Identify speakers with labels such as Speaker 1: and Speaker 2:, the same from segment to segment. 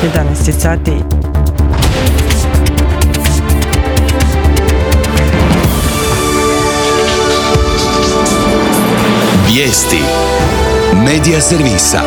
Speaker 1: 11 sati.
Speaker 2: Vijesti Medija servisa.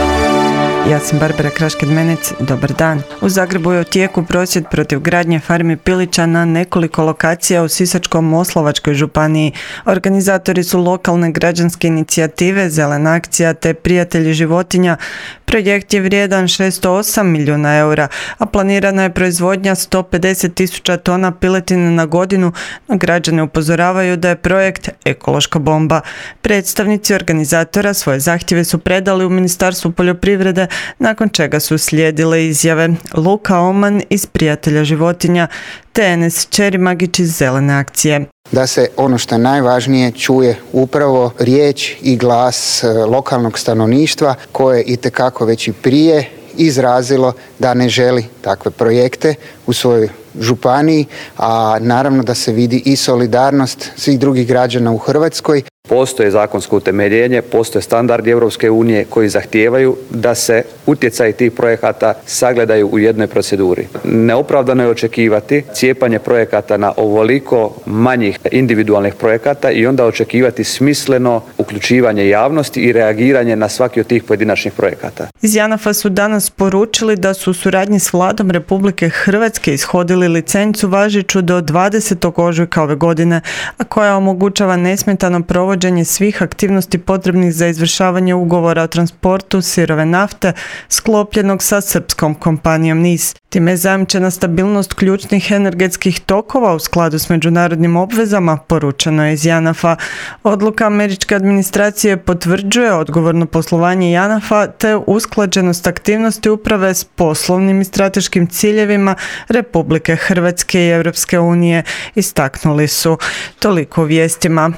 Speaker 1: Ja sam Barbara Krašked-Menec, dobar dan. U Zagrebu je u tijeku prosvjed protiv gradnje farmi pilića na nekoliko lokacija u Sisačko-moslavačkoj županiji. Organizatori su lokalne građanske inicijative Zelena akcija te Prijatelji životinja. Projekt je vrijedan 608 milijuna eura, a planirana je proizvodnja 150.000 tona piletine na godinu, no građani upozoravaju da je projekt ekološka bomba. Predstavnici organizatora svoje zahtjeve su predali u Ministarstvu poljoprivrede, nakon čega su slijedile izjave Luka Oman iz Prijatelja životinja te Enes Čerimagić iz Zelene akcije.
Speaker 3: Da se ono što je najvažnije čuje upravo riječ i glas lokalnog stanovništva koje itekako već i prije izrazilo da ne želi takve projekte u svojoj županiji, a naravno da se vidi i solidarnost svih drugih građana u Hrvatskoj.
Speaker 4: Postoje zakonsko utemeljenje, postoje standardi Europske unije koji zahtijevaju da se utjecaj tih projekata sagledaju u jednoj proceduri. Neopravdano je očekivati cijepanje projekata na ovoliko manjih individualnih projekata i onda očekivati smisleno uključivanje javnosti i reagiranje na svaki od tih pojedinačnih projekata.
Speaker 1: Iz JANAF-a su danas poručili da su u suradnji s Vladom Republike Hrvatske ishodili licencu važeću do 20. ožujka ove godine, a koja omogućava nesmetano provođenje svih aktivnosti potrebnih za izvršavanje ugovora o transportu sirove nafte sklopljenog sa srpskom kompanijom NIS. Time je zajamčena stabilnost ključnih energetskih tokova u skladu s međunarodnim obvezama, poručeno je iz JANAF-a. Odluka američke administracije potvrđuje odgovorno poslovanje JANAF-a te usklađenost aktivnosti uprave s poslovnim i strateškim ciljevima Republike Hrvatske i Europske unije, istaknuli su. Toliko u vijestima.